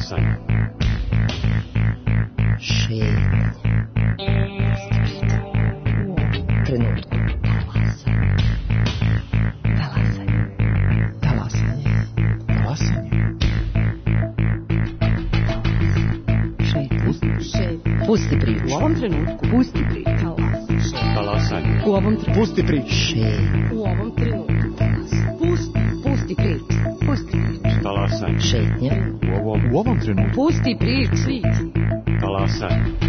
Talasanje. Šetnja. Trenutku. Talasanje. Talasanje. Talasanje. Pusti priču. U ovom trenutku. Pusti priču. Talasanje. U ovom trenutku. Pusti priču. U ovom trenutku. Pusti priču. Pusti priču. Talasanje. Šetnja. U ovom trenutku. Pusti priču. Talasanje.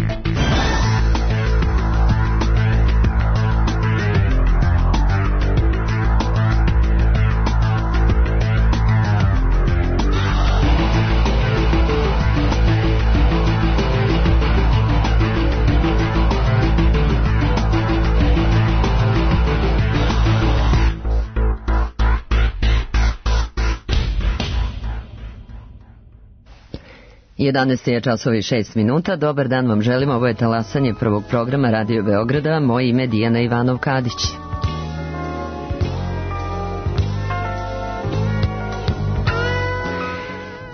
Jedanaest je časovi 6 minuta. Dobar dan vam želim. Ovo je talasanje prvog programa Radio Beograda. Moje ime je Dijana Ivanov-Kadić.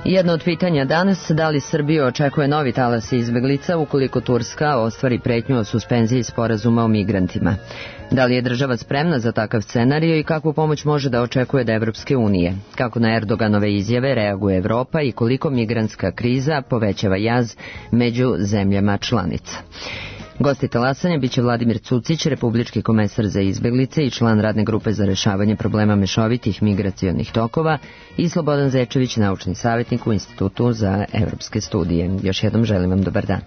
Jedno od pitanja danas, da li Srbiju očekuje novi talas izbeglica ukoliko Turska ostvari pretnju o suspenziji sporazuma o migrantima? Da li je država spremna za takav scenarij i kakvu pomoć može da očekuje od Evropske unije? Kako na Erdoganove izjave reaguje Evropa i koliko migrantska kriza povećava jaz među zemljama članica? Gosti talasanja biće Vladimir Cucić, republički komesar za izbeglice i član radne grupe za rešavanje problema mešovitih migracionih tokova, i Slobodan Zečević, naučni savjetnik u Institutu za evropske studije. Još jednom želim vam dobar dan.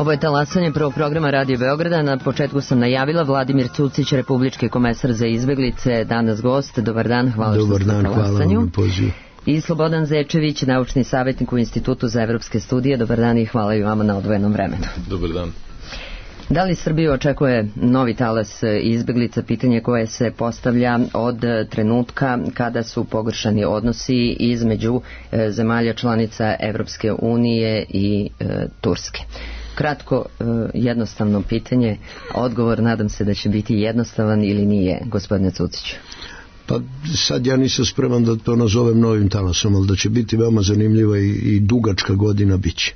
Ovo je talasanje prvog programa Radio Beograda. Na početku sam najavila Vladimir Cucić, republički komesar za izbeglice, danas gost. Dobar dan, hvala što ste na talasanju. Hvala vam na pozivu. I Slobodan Zečević, naučni savjetnik u Institutu za evropske studije. Dobar dan i hvala i vama na odvojenom vremenu. Dobar dan. Da li Srbiju očekuje novi talas izbeglica? Pitanje koje se postavlja od trenutka kada su pogoršani odnosi između zemalja članica Evropske unije i Turske. Kratko, jednostavno pitanje, odgovor nadam se da će biti jednostavan ili nije, gospodine Cuciću. Pa sad ja nisam spreman da to nazovem novim talasom, ali da će biti veoma zanimljiva i dugačka godina biće.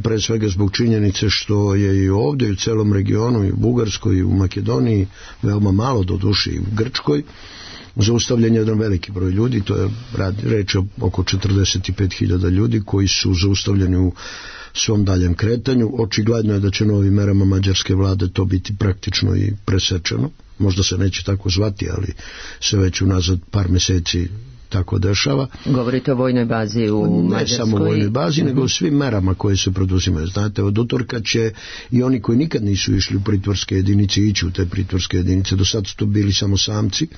Pre svega zbog činjenice što je i ovdje i u celom regionu, i u Bugarskoj, i u Makedoniji, veoma malo do duše i u Grčkoj, zaustavljen je jedan veliki broj ljudi, to je reč oko 45.000 ljudi koji su zaustavljeni u svom daljem kretanju. Očigledno je da će novim merama mađarske vlade to biti praktično i presečeno. Možda se neće tako zvati, ali se već unazad par meseci tako dešava. Govorite o vojnoj bazi u Mađarskoj? Ne samo o vojnoj bazi, nego o svim merama koje se preduzimaju. Znate, od utorka će i oni koji nikad nisu išli u pritvorske jedinice ići u te pritvorske jedinice. Do sad su to bili samo samci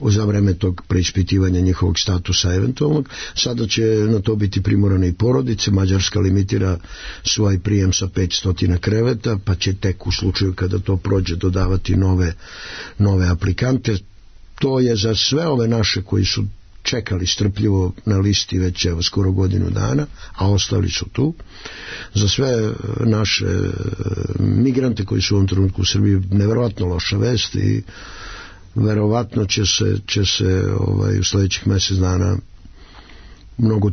za vreme tog preispitivanja njihovog statusa eventualnog. Sada će na to biti primorane i porodice. Mađarska limitira svoj prijem sa 500 kreveta, pa će tek u slučaju kada to prođe dodavati nove aplikante. To je za sve ove naše koji su čekali strpljivo na listi već skoro godinu dana, a ostali su tu. Za sve naše migrante koji su u ovom trenutku u Srbiji neverovatno loša vest i verovatno će se u sljedećih mjesec dana mnogo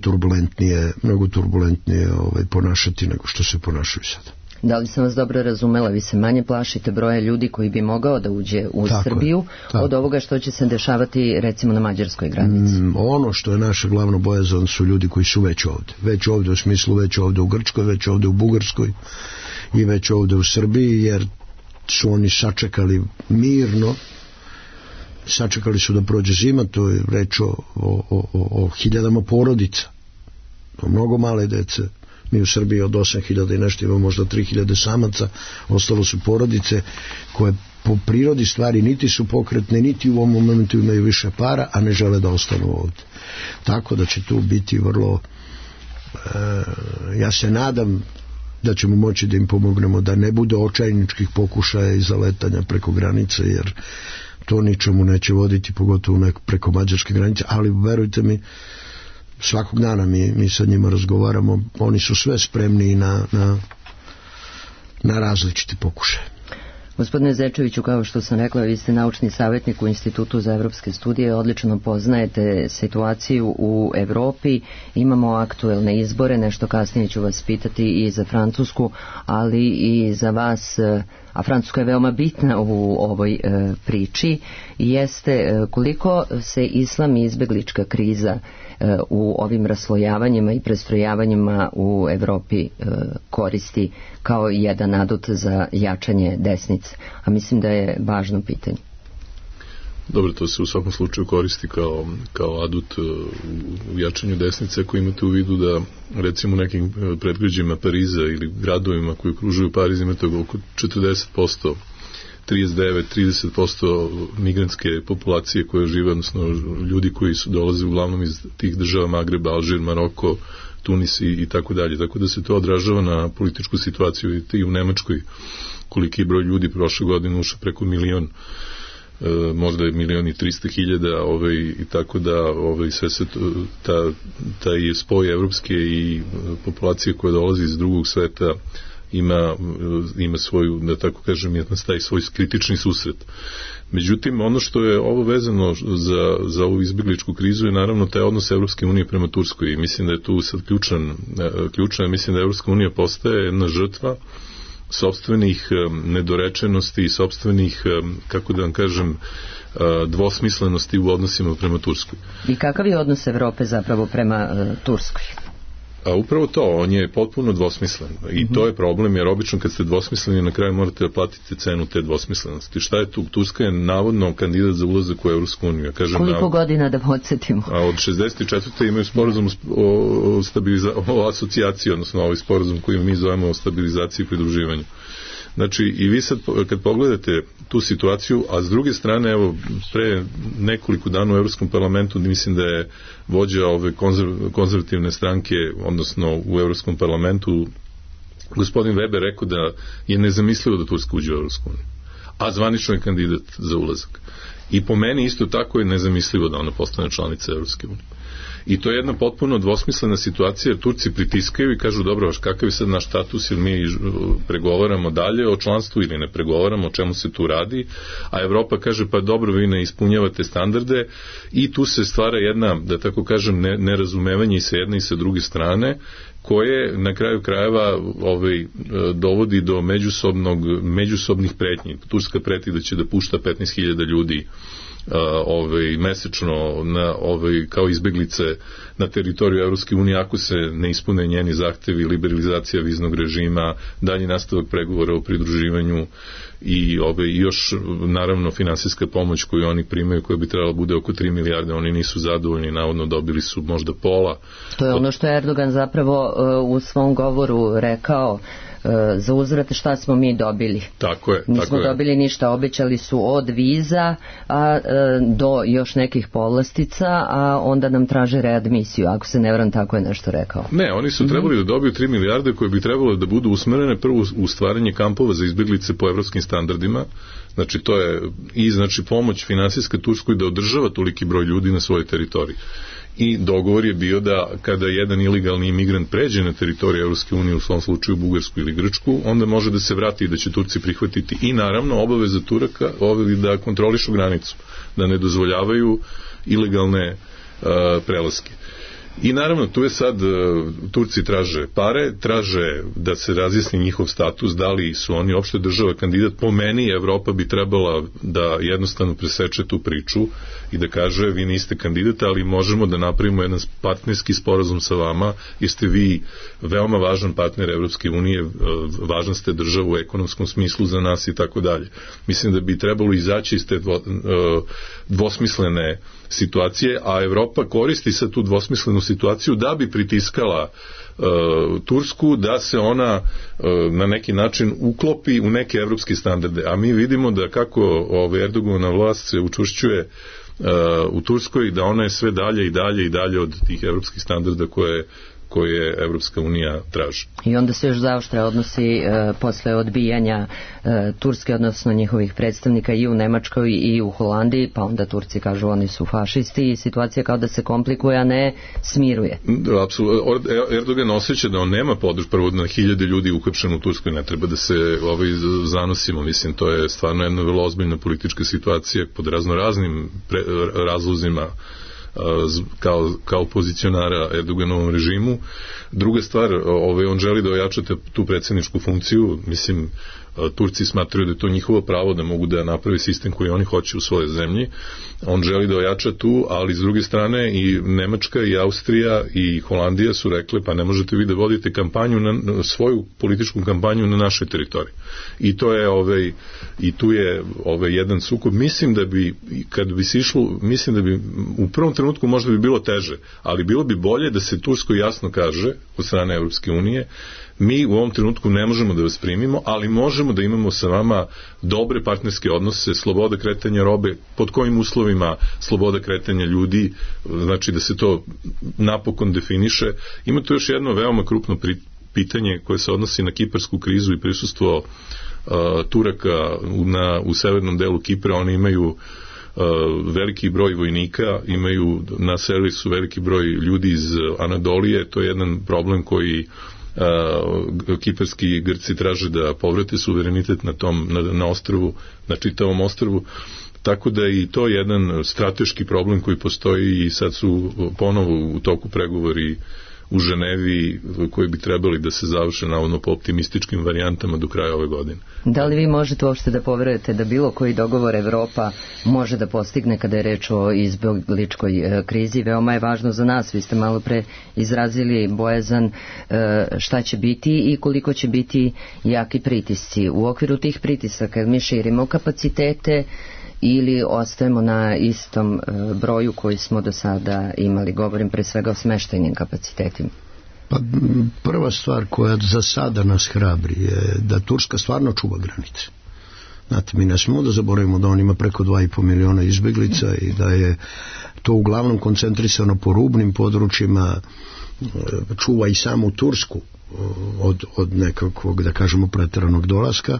turbulentnije ponašati nego što se ponašaju sada. Da li sam vas dobro razumela, vi se manje plašite broja ljudi koji bi mogao da uđe u Srbiju od ovoga što će se dešavati recimo na mađarskoj granici? Ono što je naša glavna bojazan su ljudi koji su već ovdje. Već ovdje u smislu, već ovdje u Grčkoj, već ovdje u Bugarskoj i već ovdje u Srbiji, jer su oni sačekali mirno, sačekali su da prođe zima. To je reč o hiljadama porodica, o mnogo male dece. Mi u Srbiji od 8.000 i nešto imamo možda 3.000 samaca, ostalo su porodice koje po prirodi stvari niti su pokretne, niti u ovom momentu imaju više para, a ne žele da ostanu ovdje. Tako da će tu biti vrlo, ja se nadam da ćemo moći da im pomognemo, da ne bude očajničkih pokušaja i zaletanja preko granice, jer to ničemu neće voditi, pogotovo preko mađarske granice, ali verujte mi, svakog dana mi sa njima razgovaramo, oni su sve spremni na različite pokušaje. Gospodine Zečeviću, kao što sam rekla, vi ste naučni savjetnik u Institutu za evropske studije, odlično poznajete situaciju u Evropi, imamo aktuelne izbore, nešto kasnije ću vas pitati i za Francusku, ali i za vas, a Francuska je veoma bitna u ovoj priči, jeste koliko se islam i izbeglička kriza u ovim raslojavanjima i prestrojavanjima u Evropi koristi kao jedan adut za jačanje desnice, a mislim da je važno pitanje. Dobro, to se u svakom slučaju koristi kao adut u jačanju desnice, ako imate u vidu da recimo u nekim predgrađima Pariza ili gradovima koji okružuju Pariz imate oko 40%, 39-30% migrantske populacije koje žive, odnosno ljudi koji dolaze uglavnom iz tih država Magreba, Alžir, Maroko, Tunis i tako dalje. Tako da se to odražava na političku situaciju. Vidite i u Nemačkoj koliki broj ljudi prošle godine ušao preko 1 milion, možda je 1.300.000 i tako da sve se taj spoj evropske i populacije koja dolazi iz drugog sveta ima svoju, da tako kažem, taj svoj kritični susret. Međutim, ono što je ovo vezano za ovu izbjegličku krizu je naravno taj odnos Evropske unije prema Turskoj i mislim da je tu sad ključno, mislim da Evropska unija postaje jedna žrtva sopstvenih nedorečenosti i sopstvenih, kako da vam kažem, dvosmislenosti u odnosima prema Turskoj. I kakav je odnos Evrope zapravo prema Turskoj? A upravo to, on je potpuno dvosmislen i to je problem, jer obično kad ste dvosmisleni na kraju morate da platite cenu te dvosmislenosti. Šta je tu? Turska je navodno kandidat za ulazak u Evropsku uniju. Koliko godina da podsjetimo? A od 64. imaju sporazum o asocijaciji, odnosno ovaj sporazum koji mi zovemo o stabilizaciji i pridruživanju. Znači, i vi sad kad pogledate tu situaciju, a s druge strane, evo, pre nekoliko dana u Evropskom parlamentu, mislim da je vođa ove konzervativne stranke, odnosno u Evropskom parlamentu, gospodin Weber rekao da je nezamislivo da Turska uđe u Evropsku uniju, a zvanično je kandidat za ulazak. I po meni isto tako je nezamislivo da ona postane članica Evropske unije. I to je jedna potpuno dvosmislena situacija, jer Turci pritiskaju i kažu, dobro, kakav je sad naš status, ili mi pregovaramo dalje o članstvu ili ne pregovaramo, o čemu se tu radi, a Evropa kaže, pa dobro, vi ne ispunjavate standarde, i tu se stvara jedna, da tako kažem, nerazumevanje i sa jedne i sa druge strane, koje na kraju krajeva dovodi do međusobnih pretnji. Turska preti da će da pušta 15.000 ljudi mesečno kao izbeglice na teritoriju Evropske unije ako se ne ispune njeni zahtevi, liberalizacija viznog režima, dalji nastavak pregovora o pridruživanju i još naravno finansijska pomoć koju oni primaju, koja bi trebala bude oko 3 milijarde, oni nisu zadovoljni, navodno dobili su možda pola. To je ono što je Erdogan zapravo u svom govoru rekao, za uzvrat šta smo mi dobili. Tako je. Nismo dobili ništa, obećali su od viza do još nekih povlastica, a onda nam traže readmisiju, ako se ne varam, tako je nešto rekao. Ne, oni su trebali da dobiju 3 milijarde koje bi trebalo da budu usmerene prvo u stvaranje kampova za izbjeglice po evropskim standardima. Znači to je i pomoć finansijska Turskoj da održava toliki broj ljudi na svojoj teritoriji. I dogovor je bio da kada jedan ilegalni imigrant pređe na teritoriju Evropske unije, u svom slučaju Bugarsku ili Grčku, onda može da se vrati i da će Turci prihvatiti. I naravno obaveza Turaka da kontrolišu granicu, da ne dozvoljavaju ilegalne prelaske. I naravno tu je sad, Turci traže pare, traže da se razjasni njihov status, da li su oni opšte država kandidat. Po meni Evropa bi trebala da jednostavno preseče tu priču i da kaže, vi niste kandidat, ali možemo da napravimo jedan partnerski sporazum sa vama, jer ste vi veoma važan partner Evropske unije, važan ste država u ekonomskom smislu za nas i tako dalje. Mislim da bi trebalo izaći iz te dvosmislene situacije, a Evropa koristi sad tu dvosmislenu situaciju da bi pritiskala Tursku da se ona na neki način uklopi u neke evropske standarde. A mi vidimo da kako Erdoganova vlast se učvršćuje u Turskoj, da ona je sve dalje i dalje i dalje od tih evropskih standarda koje Evropska unija traži. I onda se još zaoštre odnosi posle odbijanja Turske, odnosno njihovih predstavnika i u Nemačkoj i u Holandiji, pa onda Turci kažu oni su fašisti i situacija kao da se komplikuje, a ne smiruje. Apsolutno. Erdogan osjeća da on nema podršku, prvo na 1000 ljudi uhapšeno u Turskoj, ne treba da se zanosimo, mislim, to je stvarno jedna vrlo ozbiljna politička situacija pod raznoraznim razlozima kao pozicionara Erdoganovom režimu. Druga stvar, on želi da ojača tu predsjedničku funkciju, mislim, Turci smatraju da je to njihovo pravo da mogu da napravi sistem koji oni hoće u svojoj zemlji. On želi da ojača tu, ali s druge strane i Nemačka i Austrija i Holandija su rekle, pa ne možete vi da vodite kampanju svoju političku kampanju na našoj teritoriji. I to je i tu je jedan sukob. Mislim da bi kad bi se išlo, mislim da bi u prvom trenutku možda bi bilo teže, ali bilo bi bolje da se Turskoj jasno kaže od strane Evropske unije, mi u ovom trenutku ne možemo da vas primimo, ali možemo da imamo sa vama dobre partnerske odnose, sloboda kretanja robe, pod kojim uslovima sloboda kretanja ljudi, znači da se to napokon definiše. Ima tu još jedno veoma krupno pitanje koje se odnosi na kiparsku krizu i prisustvo Turaka u severnom delu Kipra. Oni imaju veliki broj vojnika, imaju na servisu veliki broj ljudi iz Anadolije, to je jedan problem koji kiparski Grci traže da povrate suverenitet na ostrvu, na čitavom ostrvu, tako da i to je jedan strateški problem koji postoji i sad su ponovo u toku pregovori u Ženevi koji bi trebali da se završe navodno po optimističkim varijantama do kraja ove godine. Da li vi možete uopšte da poverujete da bilo koji dogovor Evropa može da postigne kada je reč o izbegličkoj krizi? Veoma je važno za nas, vi ste malo pre izrazili bojazan šta će biti i koliko će biti jaki pritisci. U okviru tih pritisaka mi širimo kapacitete ili ostajemo na istom broju koji smo do sada imali? Govorim pre svega o smeštajnim kapacitetima. Pa prva stvar koja za sada nas hrabri je da Turska stvarno čuva granice. Znate, mi ne smemo da zaboravimo da on ima preko 2,5 miliona izbeglica i da je to uglavnom koncentrisano po rubnim područjima, čuva i samu Tursku od nekakvog, da kažemo, preteranog dolaska.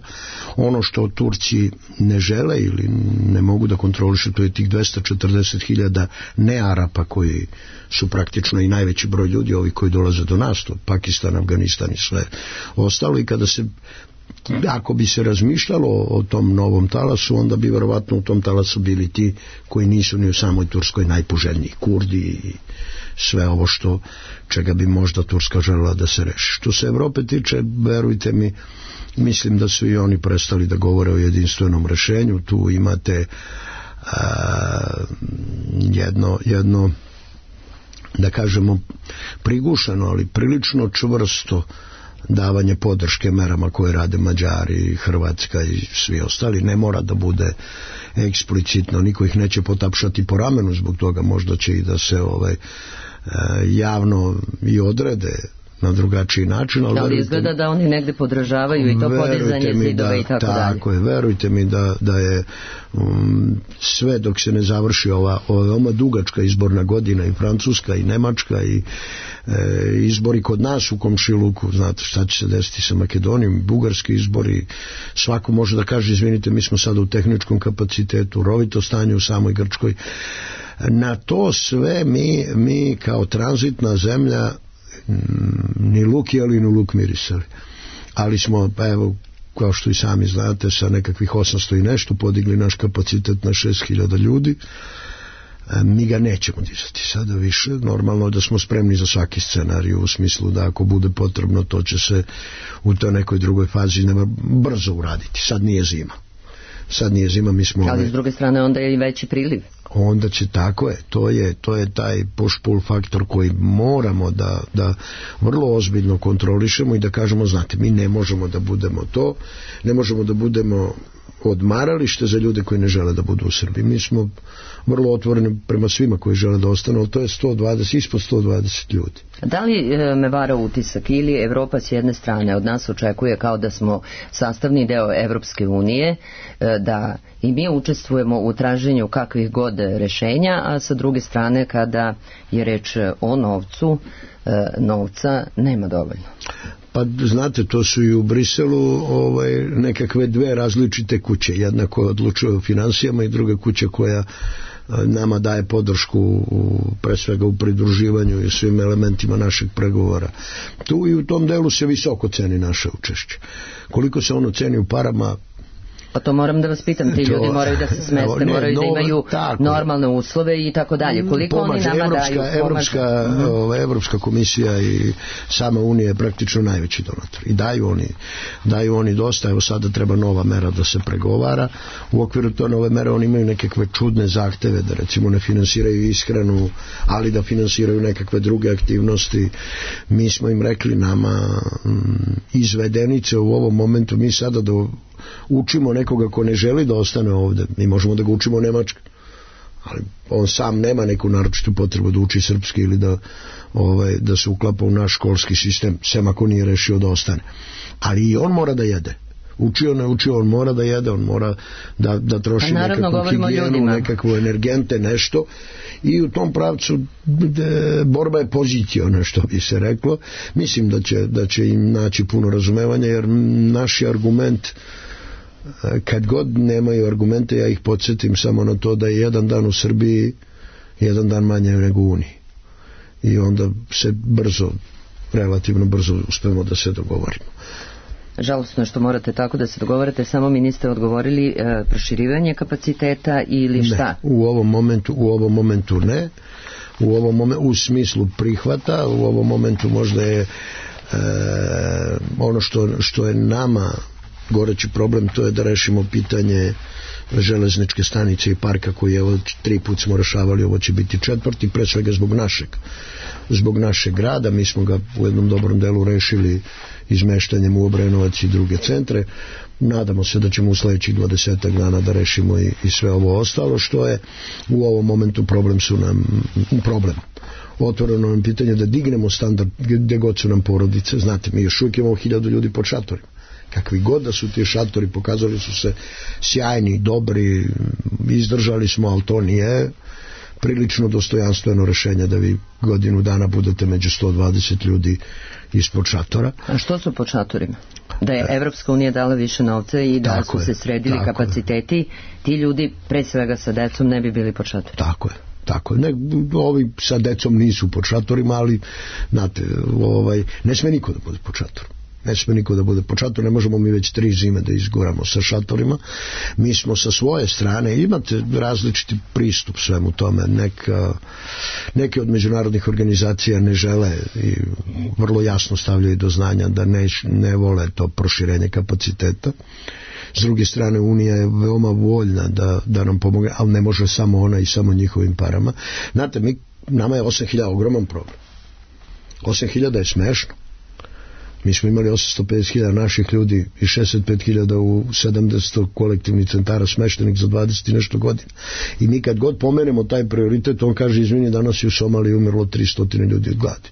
Ono što Turci ne žele ili ne mogu da kontrolišu, to je tih 240.000 nearapa koji su praktično i najveći broj ljudi, ovi koji dolaze do nas, to Pakistan, Afganistan i sve ostalo. I kada se, ako bi se razmišljalo o tom novom talasu, onda bi verovatno u tom talasu bili ti koji nisu ni u samoj Turskoj najpoželjniji, Kurdi i sve ovo što, čega bi možda Turska želela da se reši. Što se Evrope tiče, verujte mi, mislim da su i oni prestali da govore o jedinstvenom rešenju. Tu imate jedno, da kažemo, prigušeno, ali prilično čvrsto davanje podrške merama koje rade Mađari, Hrvatska i svi ostali. Ne mora da bude eksplicitno, niko ih neće potapšati po ramenu zbog toga, možda će i da se javno i odrede na drugačiji način. Ali izgleda da oni negde podržavaju i to podizanje zidova i tako dalje. Tako je, verujte mi da je sve dok se ne završi ova veoma dugačka izborna godina, i Francuska i Nemačka i izbori kod nas u komšiluku, znate šta će se desiti sa Makedonijom, bugarski izbori, svako može da kaže izvinite, mi smo sada u tehničkom kapacitetu, rovito stanje u samoj Grčkoj. Na to sve mi kao tranzitna zemlja ni luk jeli, ni luk mirisali. Ali smo, pa evo, kao što i sami znate, sa nekakvih 800 i nešto podigli naš kapacitet na 6.000 ljudi. Mi ga nećemo dizati sada više. Normalno je da smo spremni za svaki scenarij, u smislu da ako bude potrebno, to će se u toj nekoj drugoj fazi brzo uraditi. Sad nije zima, mi smo... Ali s druge strane onda je i veći priliv. Onda će, tako je, to je taj push-pull faktor koji moramo da vrlo ozbiljno kontrolišemo i da kažemo, znate, mi ne možemo da budemo to, ne možemo da budemo odmaralište za ljude koji ne žele da budu u Srbiji. Mi smo vrlo otvoreni prema svima koji žele da ostanu, ali to je 120, ispod 120 ljudi. Da li me vara utisak ili Evropa s jedne strane od nas očekuje kao da smo sastavni deo Evropske unije, da i mi učestvujemo u traženju kakvih god rešenja, a sa druge strane kada je reč o novcu, novca nema dovoljno? Pa znate, to su i u Briselu nekakve dve različite kuće. Jedna koja odlučuje o finansijama i druga kuća koja nama daje podršku pre svega u pridruživanju i svim elementima našeg pregovora. Tu i u tom delu se visoko ceni naše učešće. Koliko se ono ceni u parama, pa to moram da vas pitam, ti ljudi moraju da se smeste, moraju da imaju normalne uslove i tako dalje. Koliko oni nama daju? Evropska komisija i sama Unija je praktično najveći donator. I daju oni dosta. Evo sada treba nova mera da se pregovara. U okviru to nove mere oni imaju nekakve čudne zahteve da recimo ne finansiraju ishranu, ali da finansiraju nekakve druge aktivnosti. Mi smo im rekli, nama izvedenice u ovom momentu, mi sada učimo nekoga ko ne želi da ostane ovde, mi možemo da ga učimo u Nemačkoj, ali on sam nema neku naročitu potrebu da uči srpski ili da se uklapa u naš školski sistem, sem ako nije rešio da ostane. Ali i on mora da jede. Učio, ne učio, on mora da jede, on mora da troši nekakvu higijenu, nekakvu energente, nešto, i u tom pravcu borba je poziciona, što bi se reklo. Mislim da će im naći puno razumevanja, jer naši argument, kad god nemaju argumente, ja ih podsjetim samo na to da je jedan dan u Srbiji jedan dan manje nego u Uniji, i onda se relativno brzo uspemo da se dogovorimo. Žalostno je što morate tako da se dogovorite, samo mi niste odgovorili proširivanje kapaciteta ili šta? Ne, u ovom momentu ne. u ovom u smislu prihvata. U ovom momentu možda je ono što je nama goreći problem, to je da rešimo pitanje železničke stanice i parka koji je 3 put smo rešavali, ovo će biti 4. pre svega zbog našeg grada. Mi smo ga u jednom dobrom delu rešili izmeštanjem u Obrenovac i druge centre. Nadamo se da ćemo u sledećih 20 dana da rešimo i sve ovo ostalo što je u ovom momentu problem. Otvoreno nam pitanje da dignemo standard gde god su nam porodice. Znate, mi još uvijek imamo 1000 ljudi pod šatorima. Kakvi god da su ti šatori, pokazali su se sjajni, dobri, izdržali smo, ali to nije prilično dostojanstveno rešenje da vi godinu dana budete među 120 ljudi ispod šatora. A što su pod šatorima? Da je Evropska unija dala više novca i da su se sredili kapaciteti, ti ljudi, pre svega sa decom, ne bi bili pod šatorima. Tako je. Ovi sa decom nisu pod šatorima, ali znate, ne sme niko da bude pod šatorom. Ne možemo mi već 3 zime da izguramo sa šatorima. Mi smo sa svoje strane, imate različiti pristup svemu tome. Neke od međunarodnih organizacija ne žele i vrlo jasno stavljaju do znanja da ne vole to proširenje kapaciteta. S druge strane, Unija je veoma voljna da nam pomogne, ali ne može samo ona i samo njihovim parama. Znate, nama je 8.000 ogroman problem. 8.000 je smešno. Mi smo imali 850.000 naših ljudi i 65.000 u 70 kolektivnih centara smeštenih za 20 i nešto godina. I mi kad god pomenemo taj prioritet, on kaže, izvini, danas je u Somaliji umrlo 300 ljudi od gladi.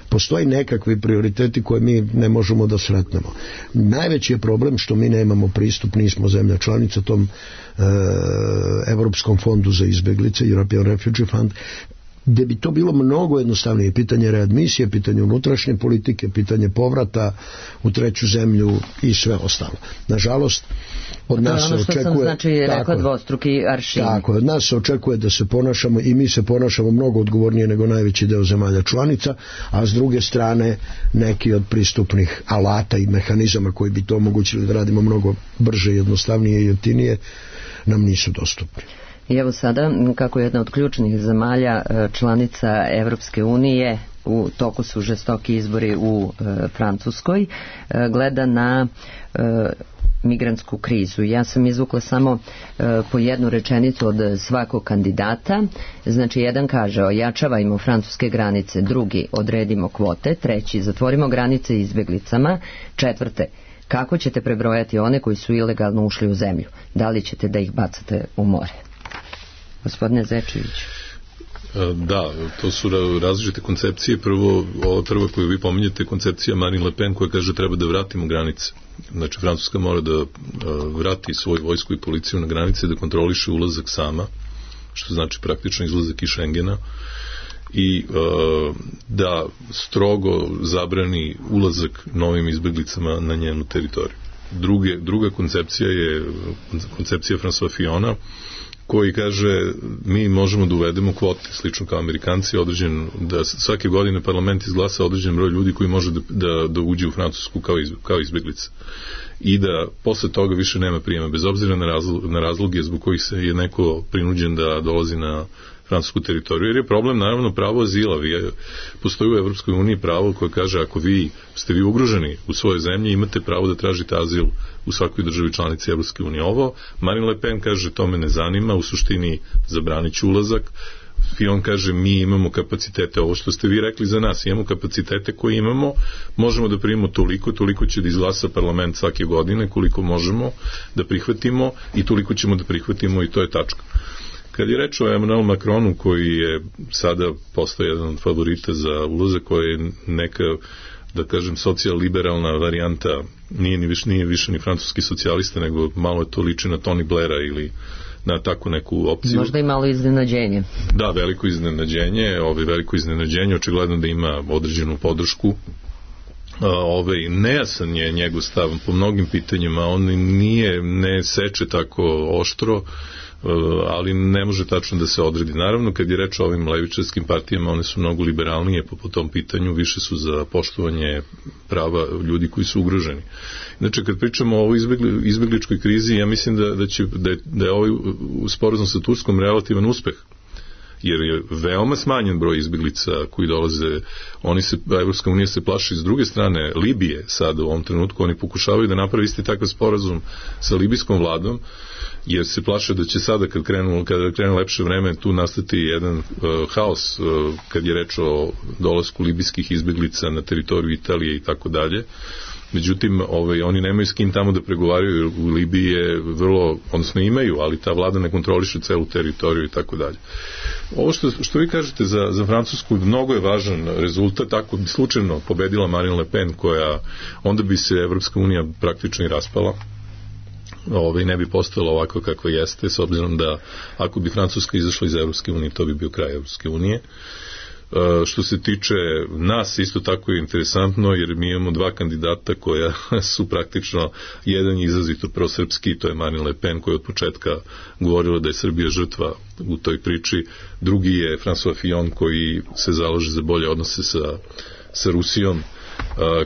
Postoji nekakvi prioriteti koje mi ne možemo da sretnemo. Najveći je problem što mi nemamo pristup, nismo zemlja članica tom Evropskom fondu za izbeglice, European Refugee Fund, gde bi to bilo mnogo jednostavnije. Pitanje readmisije, pitanje unutrašnje politike, pitanje povrata u treću zemlju i sve ostalo. Nažalost, od nas se očekuje... To je ono što sam rekla, dvostruki aršin. Tako, od nas se očekuje da se ponašamo i mi se ponašamo mnogo odgovornije nego najveći deo zemalja članica, a s druge strane neki od pristupnih alata i mehanizama koji bi to omogućili da radimo mnogo brže, jednostavnije i jeftinije nam nisu dostupni. I evo sada, kako jedna od ključnih zemalja članica Evropske unije, u toku su žestoki izbori u Francuskoj, gleda na migrantsku krizu. Ja sam izvukla samo po jednu rečenicu od svakog kandidata. Znači, jedan kaže, ojačavajmo francuske granice, drugi, odredimo kvote, treći, zatvorimo granice izbeglicama, četvrte, kako ćete prebrojati one koji su ilegalno ušli u zemlju? Da li ćete da ih bacate u more? Gospodine Zečević. Da, to su različite koncepcije. Ova prva koju vi pominjete je koncepcija Marine Le Pen koja kaže treba da vratimo granice. Znači, Francuska mora da vrati svoju vojsku i policiju na granice, da kontroliše ulazak sama, što znači praktično izlazak iz Schengena, i da strogo zabrani ulazak novim izbeglicama na njenu teritoriju. Druga koncepcija je koncepcija François Fillona, koji kaže mi možemo da uvedemo kvote, slično kao Amerikanci, da svake godine parlament izglasa određen broj ljudi koji može da uđe u Francusku kao izbeglica. I da posle toga više nema prijema, bez obzira na razloge zbog kojih se je neko prinuđen da dolazi na francusku teritoriju, jer je problem naravno pravo azila. Postoji u Evropskoj uniji pravo koje kaže ako ste vi ugroženi u svojoj zemlji, imate pravo da tražite azil u svakoj državi članici Evropske unije. Ovo Marine Le Pen kaže to me ne zanima, u suštini zabranit ću ulazak. Fillon kaže mi imamo kapacitete, ovo što ste vi rekli za nas, imamo kapacitete koje imamo, možemo da primimo toliko će da izglasa parlament svake godine, koliko možemo da prihvatimo i toliko ćemo da prihvatimo i to je tačka. Kad je reč o Emmanuel Macronu, koji je sada postao jedan od favorita za ulazak, koji je neka, da kažem, socijal-liberalna varijanta, nije više ni francuski socijalista, nego malo je to liči na Tony Blaira ili na takvu neku opciju. Možda i malo iznenađenje. Da, veliko iznenađenje, očigledno da ima određenu podršku. Nejasan je njegov stav po mnogim pitanjima, on ne seče tako oštro, ali ne može tačno da se odredi. Naravno, kad je reč o ovim levičarskim partijama, one su mnogo liberalnije po tom pitanju, više su za poštovanje prava ljudi koji su ugroženi. Znači, kad pričamo o ovoj izbegličkoj krizi, ja mislim da je ovaj sporazum sa Turskom relativan uspeh. jer je veoma smanjen broj izbeglica koji dolaze. Evropska unija se plaši s druge strane Libije sad u ovom trenutku, oni pokušavaju da napravi isti takav sporazum sa libijskom vladom, jer se plaše da će sada kada krene lepše vreme tu nastati jedan haos kad je reč o dolasku libijskih izbeglica na teritoriju Italije i tako dalje. Međutim, oni nemaju s kim tamo da pregovaraju, jer u Libiji je odnosno imaju, ali ta vlada ne kontroliše celu teritoriju i tako dalje. Ovo što vi kažete za Francusku, mnogo je važan rezultat. Ako bi slučajno pobedila Marine Le Pen, onda bi se Evropska unija praktično i raspala. Ne bi postala ovako kako jeste, s obzirom da ako bi Francuska izašla iz Evropske unije, to bi bio kraj Evropske unije. Što se tiče nas, isto tako je interesantno, jer mi imamo dva kandidata koja su praktično, jedan je izrazito prosrpski, to je Marine Le Pen, koja je od početka govorila da je Srbija žrtva u toj priči. Drugi je François Fillon, koji se zalaže za bolje odnose sa Rusijom,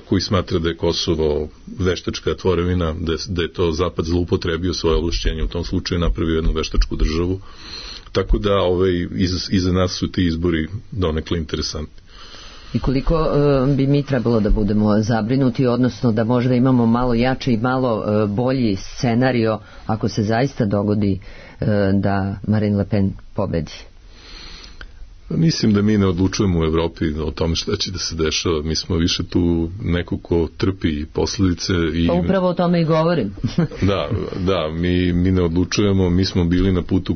koji smatra da je Kosovo veštačka tvorevina, da je to Zapad zloupotrebio svoje ovlašćenje, u tom slučaju napravio jednu veštačku državu. Tako da iza nas su ti izbori donekle interesantni. I koliko bi mi trebalo da budemo zabrinuti, odnosno da možda imamo malo jači i malo bolji scenario ako se zaista dogodi da Marine Le Pen pobedi? Mislim da mi ne odlučujemo u Evropi o tome šta će da se dešava. Mi smo više tu neko ko trpi posledice. Pa upravo o tome i govorim. Da, mi ne odlučujemo, mi smo bili na putu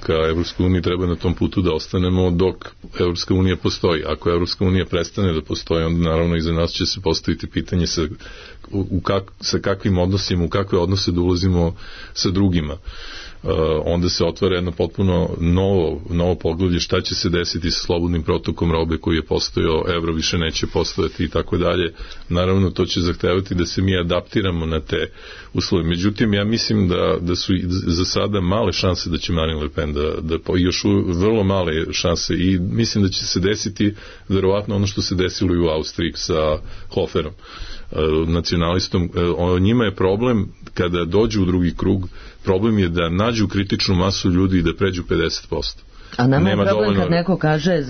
ka Evropskoj uniji, treba na tom putu da ostanemo dok Evropska unija postoji. Ako Evropska unija prestane da postoji, onda naravno iza nas će se postaviti pitanje sa kakvim odnosima, u kakve odnose da ulazimo sa drugima. Onda se otvara jedno potpuno novo poglavlje šta će se desiti sa slobodnim protokom robe koji je postojao, evro više neće postojati i tako dalje. Naravno, to će zahtevati da se mi adaptiramo na te uslove. Međutim, ja mislim da su za sada male šanse da će Marine Le Pen još vrlo male šanse, i mislim da će se desiti verovatno ono što se desilo i u Austriji sa Hoferom, nacionalistom. Njima je problem kada dođu u drugi krug, problem je da nađu kritičnu masu ljudi i da pređu 50%. A nama je problem kad neko kaže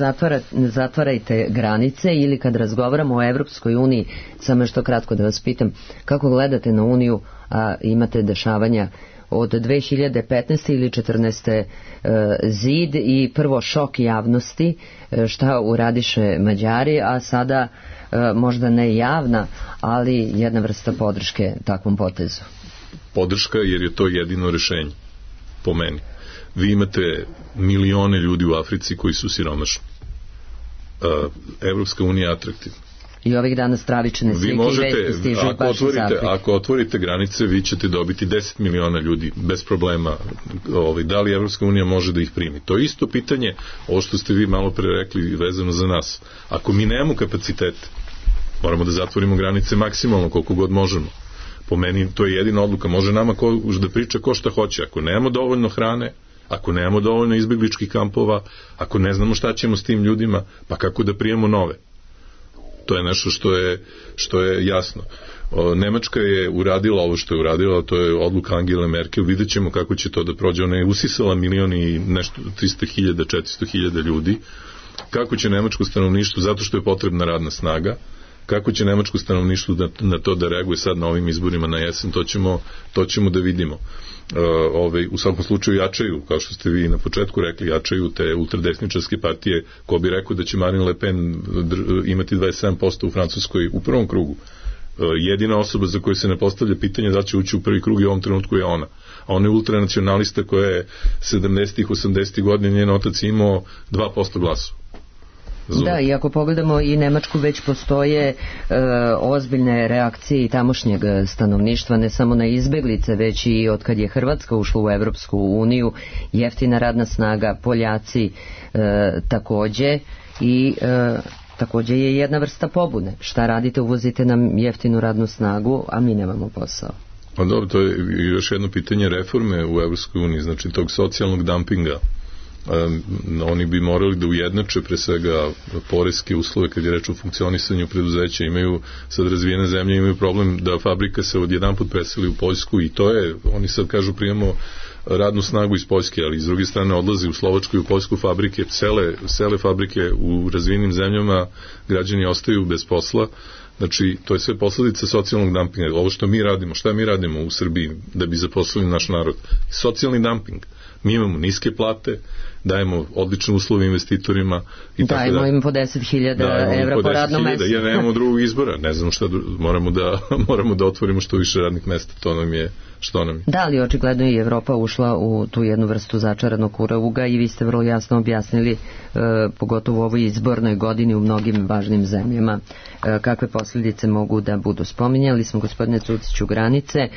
zatvarajte granice, ili kad razgovaramo o Evropskoj uniji. Samo što kratko da vas pitam, kako gledate na Uniju, a imate dešavanja od 2015. ili 14. zid i prvo šok javnosti, šta uradiše Mađari, a sada možda ne javna, ali jedna vrsta podrške takvom potezu. Podrška jer je to jedino rešenje, po meni. Vi imate milione ljudi u Africi koji su siromašni. Evropska unija je atraktivna. I ovih dana stravične slike i vesti stižu baš iz Afrike. Ako otvorite granice, vi ćete dobiti 10 miliona ljudi bez problema. Da li Evropska unija može da ih primi? To je isto pitanje, ovo što ste vi malo pre rekli vezano za nas. Ako mi nemamo kapacitete, moramo da zatvorimo granice maksimalno koliko god možemo. Po meni to je jedina odluka. Može nama da priča ko šta hoće. Ako nemamo dovoljno hrane, ako nemamo dovoljno izbegličkih kampova, ako ne znamo šta ćemo s tim ljudima, pa kako da prijemo nove? To je nešto što je jasno. Nemačka je uradila ovo što je uradila, to je odluka Angele Merkel, vidjet ćemo kako će to da prođe. Ona je usisala milioni i nešto 300.000, 400.000 ljudi. Kako će nemačko stanovništvo, zato što je potrebna radna snaga, kako će nemačko stanovništvo na to da reaguje sad na ovim izborima na jesen, to ćemo da vidimo. U svakom slučaju jačaju, kao što ste vi na početku rekli, jačaju te ultradesničarske partije. Ko bi rekao da će Marine Le Pen imati 27% u Francuskoj u prvom krugu? Jedina osoba za koju se ne postavlja pitanje da će ući u prvi krug i u ovom trenutku je ona. A ona je ultranacionalista koja je 70-ih, 80-ih godina, njen otac imao 2% glasova. Da, i ako pogledamo i Nemačku, već postoje ozbiljne reakcije i tamošnjeg stanovništva, ne samo na izbeglice, već i od kad je Hrvatska ušla u Evropsku uniju, jeftina radna snaga, Poljaci takođe, i takođe je jedna vrsta pobune. Šta radite, uvozite nam jeftinu radnu snagu, a mi nemamo posao. Pa dobro, to je još jedno pitanje reforme u Evropskoj uniji, znači tog socijalnog dumpinga oni bi morali da ujednače pre svega poreske uslove kad je reč o funkcionisanju preduzeća. Imaju sad razvijene zemlje, imaju problem da fabrika se odjedanput preseli u Poljsku i to je, oni sad kažu radnu snagu iz Poljske, ali s druge strane odlazi u Slovačku i u Poljsku fabrike, sele fabrike u razvijenim zemljama, građani ostaju bez posla. Znači, to je sve posledica socijalnog dumpinga. Ovo što mi radimo, šta mi radimo u Srbiji da bi zaposlili naš narod? Socijalni dumping. Mi imamo niske plate, dajemo odlične uslove investitorima i tako dajemo im po 10.000 evra po radnom mestu. Ja nemamo drugog izbora, ne znam šta, moramo da otvorimo što više radnih mesta, to nam je što nam je. Da, ali očigledno i Evropa ušla u tu jednu vrstu začaranog kruga i vi ste vrlo jasno objasnili, pogotovo u ovoj izbornoj godini u mnogim važnim zemljama, kakve posljedice mogu da budu. Spominjali smo, gospodine Cuciću, granice.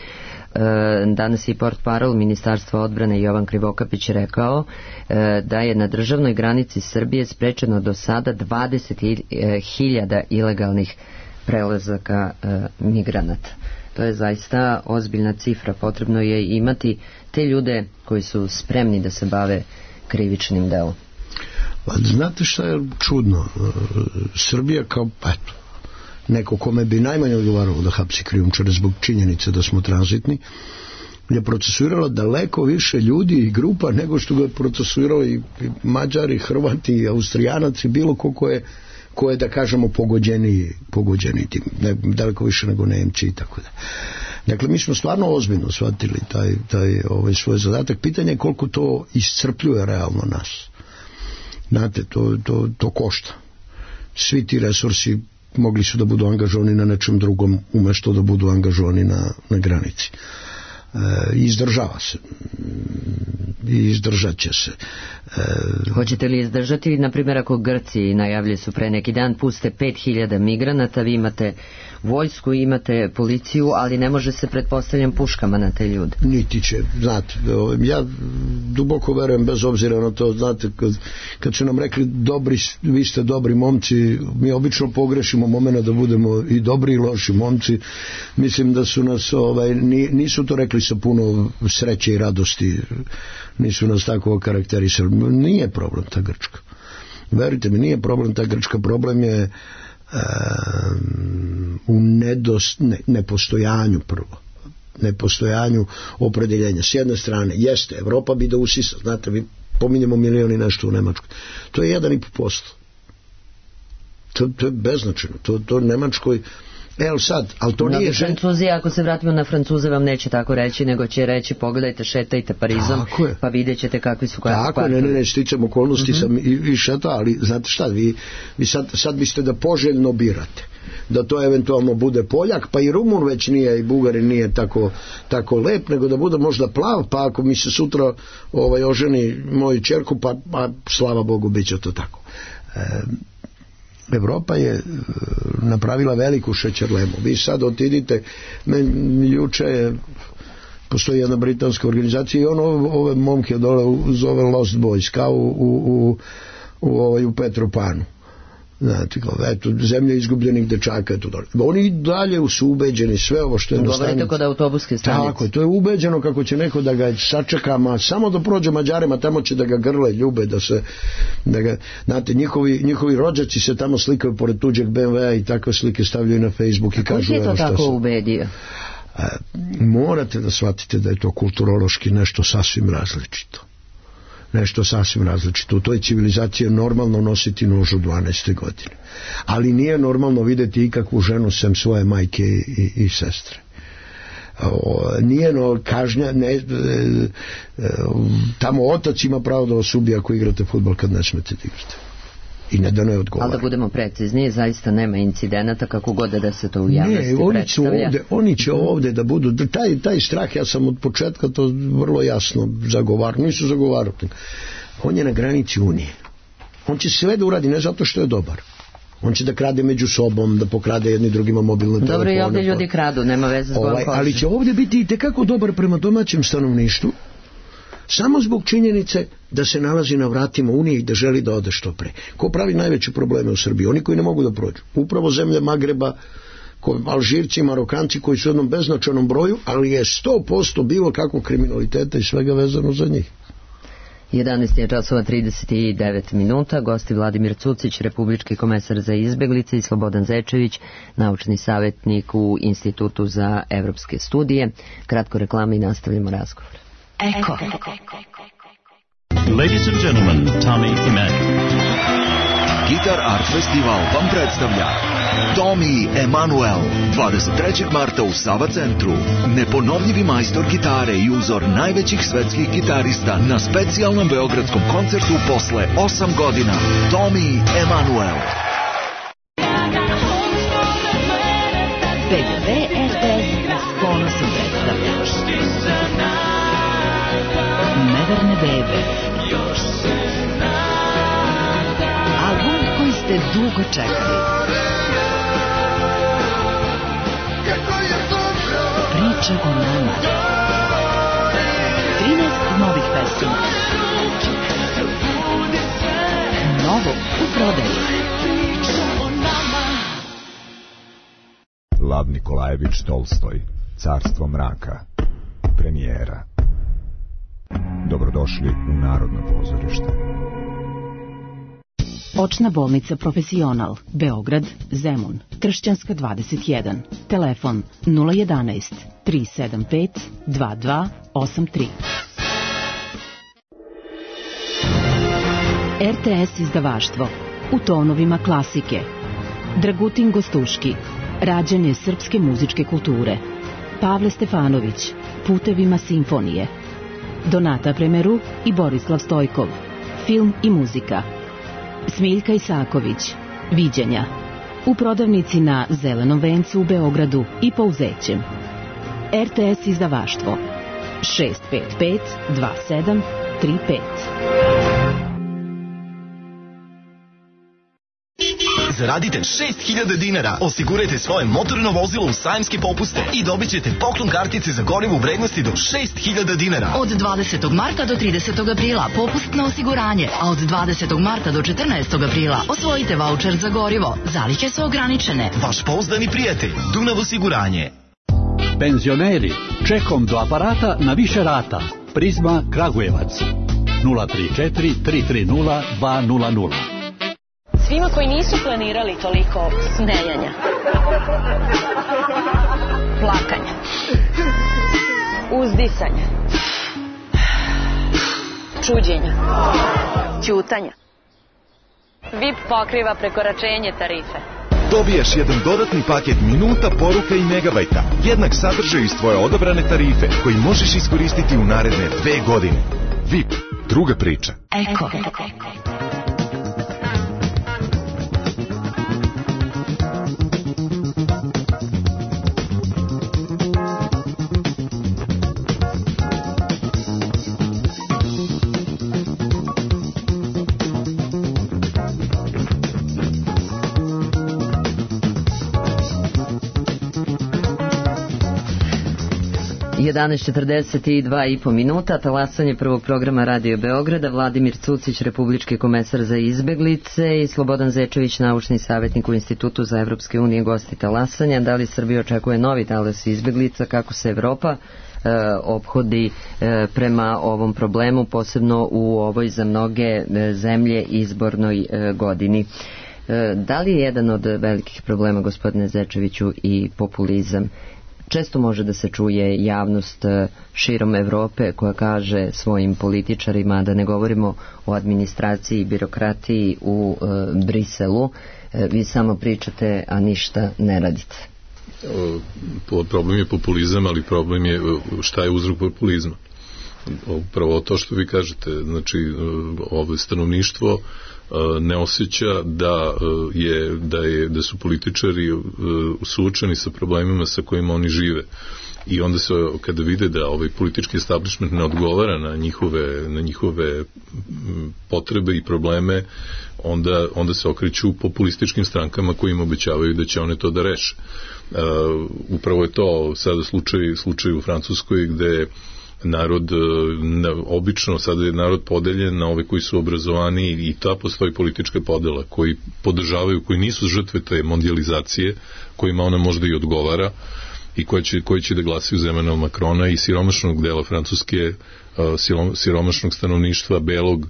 Danas je portparol Ministarstva odbrane Jovan Krivokapić rekao da je na državnoj granici Srbije sprečeno do sada 20.000 ilegalnih prelazaka migranata. To je zaista ozbiljna cifra. Potrebno je imati te ljude koji su spremni da se bave krivičnim delom. Znate šta je čudno? Srbija kao neko kome bi najmanje odgovaralo da hapsi krijumčare zbog činjenice da smo tranzitni, je procesuirala daleko više ljudi i grupa nego što ga je procesuirao i Mađari, Hrvati, i Austrijanac i bilo ko je da kažemo pogođeni tim, daleko više nego Nemci i tako da. Dakle, mi smo stvarno ozbiljno shvatili taj svoj zadatak. Pitanje je koliko to iscrpljuje realno nas. Znate, to košta. Svi ti resursi mogli su da budu angažovani na nečem drugom umesto da budu angažovani na granici. Izdržava se i izdržat će se. Hoćete li izdržati, na primjer, ako Grci najavljaju su pre neki dan puste 5.000 migranata, vi imate vojsku, imate policiju, ali ne može se, pretpostavljam, puškama na te ljude. Niti će, znate, ja duboko verujem, bez obzira na to, znate, kad su nam rekli vi ste dobri momci, mi obično pogrešimo momena da budemo i dobri i loši momci. Mislim da su nas, nisu to rekli sa puno sreće i radosti, nisu nas tako okarakterisali. Nije problem ta Grčka. Verujte mi, nije problem ta Grčka, problem je u nepostojanju prvo. Nepostojanju opredeljenja. S jedne strane, jeste, Evropa bi da usisa, znate, vi pominjemo milioni nešto u Nemačkoj. To je 1,5%. To je beznačajno. To Nemačkoj ali to nije Francuzi, ako se vratimo na Francuze, vam neće tako reći, nego će reći pogledajte, šetajte Parizom, pa vidjet ćete kakvi su kvartovi. Ne, sticam okolnosti sam i šeta, ali znate šta, vi sad biste da poželjno birate da to eventualno bude Poljak, pa i Rumun već nije, i Bugarin nije tako lep, nego da bude možda plav, pa ako mi se sutra oženi moju ćerku, pa slava Bogu, bit će to tako. Evropa je napravila veliku šećerlemu. Vi sad otidite, juče postoji jedna britanska organizacija i ove momke dole zove Lost Boys, kao u Petropanu. Znate, eto, zemlja izgubljenih dečaka, eto dole. Oni dalje su ubeđeni, sve ovo što je na stanici. Govorite kod autobuske stanice. Tako je, to je ubeđeno kako će neko da ga sačeka, samo da prođe Mađarima, tamo će da ga grle, ljube, znate, njihovi rođaci se tamo slikaju pored tuđeg BMW-a i takve slike stavljaju na Facebook i kažu evo šta se. Kako je to tako ubedio? Morate da shvatite da je to kulturološki nešto sasvim različito. U toj civilizaciji je normalno nositi nož u 12. godine. Ali nije normalno vidjeti ikakvu ženu sem svoje majke i sestre. Nije kažnja, tamo otac ima pravo da vas ubije ako igrate fudbal kad ne smete da igrate. I ne da ne odgovara. Ali da budemo precizniji, zaista nema incidenata kako god da se to u javnosti predstavlja. Oni će ovdje da budu, taj strah, ja sam od početka to vrlo jasno zagovarao, nisu zagovarali. On je na granici Unije. On će sve da uradi, ne zato što je dobar. On će da krade među sobom, da pokrade jedni drugima mobilne telefone. Dobro, i ovdje ljudi kradu, nema veze s kojom košem. Ali će ovdje biti i tekako dobar prema domaćem stanovništvu, samo zbog činjenice da se nalazi na vratima Unije i da želi da ode što pre. Ko pravi najveće probleme u Srbiji? Oni koji ne mogu da prođu. Upravo zemlje Magreba, Alžirci, Marokanci koji su u jednom beznačajnom broju, ali je 100% bilo kakvog kriminaliteta i svega vezano za njih. 11 je časova 39 minuta. Gosti Vladimir Cucić, republički komesar za izbeglice, i Slobodan Zečević, naučni savjetnik u Institutu za evropske studije. Kratko reklama i nastavljamo razgovor. Eko. Ladies and gentlemen, Tommy Emmanuel. Guitar Art Festival vam predstavlja Tommy Emmanuel 23. marta u Sava centru. Neponovljivi majstor gitare i uzor najvećih svetskih gitarista na specijalnom beogradskom koncertu posle 8 godina. Tommy Emmanuel. BGV RTS s ponosom predstavlja Neverne bebe. Album koji ste dugo čekali. Priča o nama. 13 novih pesama. Novo u prodaji. Lav Nikolajević Tolstoj, Carstvo mraka, premijera. Dobrodošli u Narodno pozorište. Očna bolnica Profesional, Beograd, Zemun, Kršćanska 21, telefon 011 375 2283. RTS izdavaštvo, u tonovima klasike. Dragutin Gostuški, rađanje srpske muzičke kulture. Pavle Stefanović, putevima simfonije. Donata Premeru i Borislav Stojkov, film i muzika. Smiljka Isaković, Viđenja, u prodavnici na Zelenom vencu u Beogradu i Pouzećem. RTS izdavaštvo 655 2735. Zaradite 6.000 dinara, osigurajte svoje motorno vozilo u sajamske popuste i dobit ćete poklon kartice za gorivo u vrednosti do 6.000 dinara. Od 20. marta do 30. aprila popust na osiguranje, a od 20. marta do 14. aprila osvojite vaučer za gorivo. Zalihe su ograničene. Vaš pouzdani prijatelj, Dunav osiguranje. Penzioneri, čekom do aparata na više rata. Prizma Kragujevac 034 330 200. Svima koji nisu planirali toliko smejanja, plakanja, uzdisanja, čuđenja, ćutanja, VIP pokriva prekoračenje tarife. Dobijaš jedan dodatni paket minuta, poruka i megabajta. Jednak sadržaj iz tvoje odabrane tarife koji možeš iskoristiti u naredne 2 godine. VIP, druga priča. Eko. 11:42,5 minuta, talasanje prvog programa Radio Beograda, Vladimir Cucić, republički komesar za izbeglice, i Slobodan Zečević, naučni savjetnik u Institutu za evropske unije, gosti talasanja. Da li Srbija očekuje novi talas izbeglica, kako se Evropa ophodi prema ovom problemu, posebno u ovoj za mnoge zemlje izbornoj godini? Da li je jedan od velikih problema, gospodine Zečeviću, i populizam? Često može da se čuje javnost širom Evrope koja kaže svojim političarima, da ne govorimo o administraciji i birokratiji u Briselu, vi samo pričate, a ništa ne radite. Problem je populizam, ali problem je šta je uzrok populizma. Upravo to što vi kažete, znači ovo stanovništvo ne osjeća da su političari suočeni sa problemima sa kojima oni žive. I onda se, kada vide da ovaj politički establishment ne odgovara na njihove potrebe i probleme, onda se okreću populističkim strankama koji im obećavaju da će one to da reše. Upravo je to sada slučaj u Francuskoj, gde narod, obično sada je narod podeljen na ove koji su obrazovani, i ta postoji politička podela, koji podržavaju, koji nisu žrtve te mondijalizacije, kojima ona možda i odgovara, i koji će da glasaju za Emmanuel Macrona i siromašnog dela Francuske, siromašnog stanovništva, belog,